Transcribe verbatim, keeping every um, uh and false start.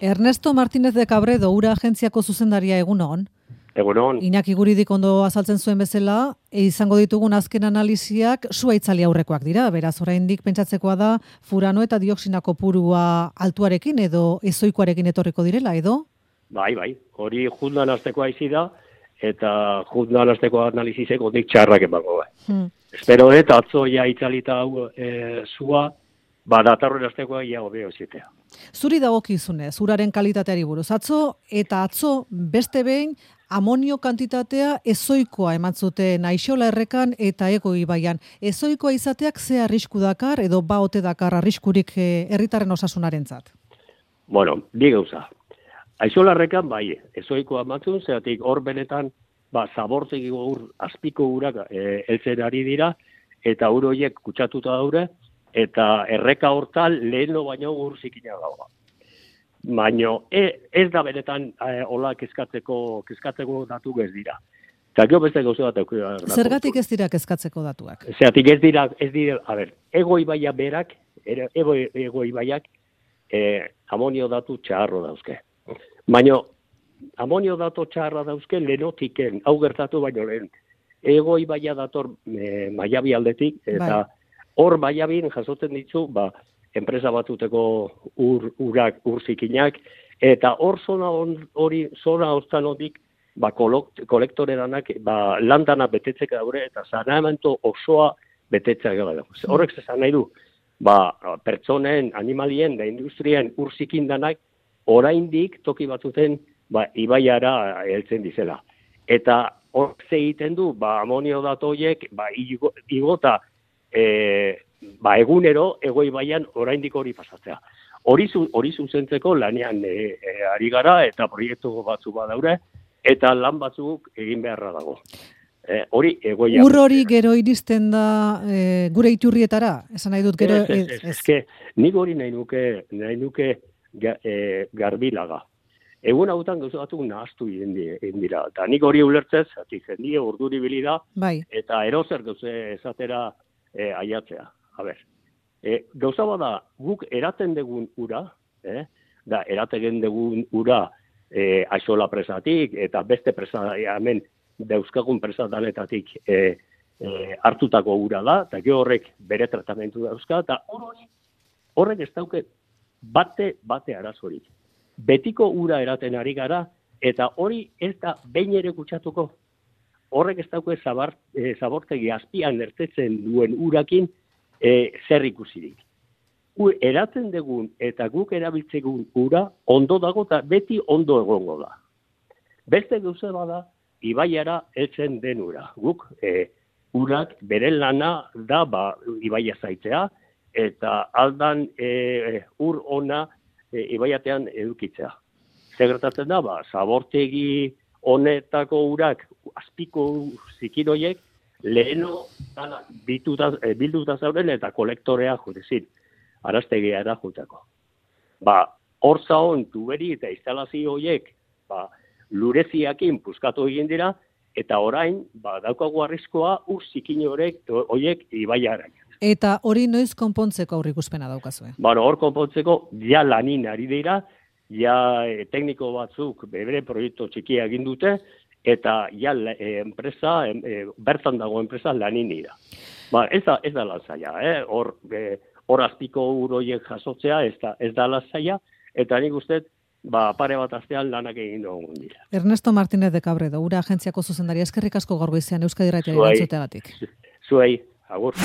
Ernesto Martínez de Cabredo, ura agentziako zuzendaria, egunon. Egunon. Iñaki Guridik ondo azaltzen zuen bezala, e, izango ditugun azken analiziak sua itzali aurrekoak dira, beraz oraindik pentsatzekoa da furano eta dioxina kopurua altuarekin edo ezoikoarekin etorriko direla, edo? Bai, bai, hori jundan aztekoa izi da, eta jundan azteko analizisek ondik txarrak emango bai. Hmm. Espero eta atzo ja itzalita hau e, zua, ba, datarren aztekoa ia hobeo zitea. Zuri dagokizunez, uraren kalitateari buruz. Atzo eta atzo beste behin amonio kantitatea ezoikoa eman zuten Aixola errekan eta Ego ibaian. Ezoikoa izateak ze arrisku dakar edo ba ote dakar arriskurik herritarren osasunarentzat? Bueno, bi gauza. Aixola errekan bai, ezoikoa emantzun, zeratik hor benetan ba, zabortzeko ur, azpiko urak e, eltzen ari dira, eta ur horiek kutsatuta daure, eta erreka hortal leheno baino ur zikina dagoa. Baina ez da benetan eh, hola kezkatzeko, kezkatzeko datu ez dira. Eta gero beste gauza bat aukera. Zergatik ez dira kezkatzeko datuak? Zeratik ez dira, ez dira, a ber, Ego ibaia berak, ego, ego ibaiak eh, amonio datu txarro dauzke. Baina amonio datu txarra dauzke lehenotiken, hau gertatu baino lehen. Ego ibaia dator eh, Maiabi aldetik, eta hor bai. Maiabin jasotzen ditzu, ba, enpresa batuteko ur, urak, ur zikinak, eta hor zona hori, zona hortan hodik, ba, kolektore danak, ba, landana betetzek daure, eta saneamendu osoa betetzek daure. Horrek zezan nahi du, ba, pertsonen, animalien, da industrien ur zikin danak, oraindik toki batzuten, ba, ibaiara heltzen dizela. Eta hor egiten du, ba, amonio datoiek, ba, igo, igota, e, ba, egunero, Ego ibaian oraindik hori pasatzea. Hori hori zuzentzeko lanean e, e, ari gara eta proiektu batzu badaure eta lan batzuk egin beharra dago. E, hori Ego ibaian. Ur hori gero iristen da e, gure iturrietara, esan nahi dut gero. Ez, ez, ez, ez, nik hori nahi nuke, nahi nuke ga, e, garbilaga. Egun hautan gauza batzuk nahaztu egin dira. Eta nik hori ulertzez, ati jendie urduri bilida, bai. Eta erozer gauze esatera e, aiatzea. A ber, e, gauza bada guk eraten dugun ura, eh, da eraten dugun ura e, Aixola presatik eta beste presa hemen dauzkagun presatanetatik e, e, hartutako ura da, eta gero horrek bere tratamentu dauzka, eta horrek, horrek ez dauke bate, bate arazorik. Betiko ura eraten ari gara, eta hori ez da behin ere kutsatuko. Horrek ez dauke zabar, e, zabortegi azpian ertetzen duen urakin, E, zer ikusirik. U, eratzen dugun eta guk erabiltzegun ura ondo dago eta beti ondo egongo da. Beste gauza bada, ibaiara heltzen den ura. Guk e, urak bere lana da ba, ibaia zaitzea eta aldan e, ur ona e, ibaiatean edukitzea. Zer gertatzen da, ba, zabortegi honetako urak azpiko zikiroiek leheno bilduta zauden eta kolektorea judezin, araztegia da jutako. Ba, hor zaon tuberi eta instalazio horiek ba, lureziakin puskatu egin dira, eta orain, ba, daukagu arriskoa ur zikin horiek ibaiarak. Eta hori noiz konpontzeko aurrikuspena daukazue? Bueno, hor konpontzeko ja lanin ari dira, ja e, tekniko batzuk bere proiektu txikia egin dute, eta ja e, enpresa, e, bertan dago enpresa lanin dira. Ba, ez da, ez da lazaia, eh? Hor, e, hor azpiko uroiek jasotzea, ez da, ez da lazaia, eta nik uste, ba, pare bat astean lanak egin dugun dira. Ernesto Martínez de Cabredo, ura agentziako zuzendaria, eskerrik asko gaur goizean Euskadi Irratiari erantzuteagatik. Zuei, agur.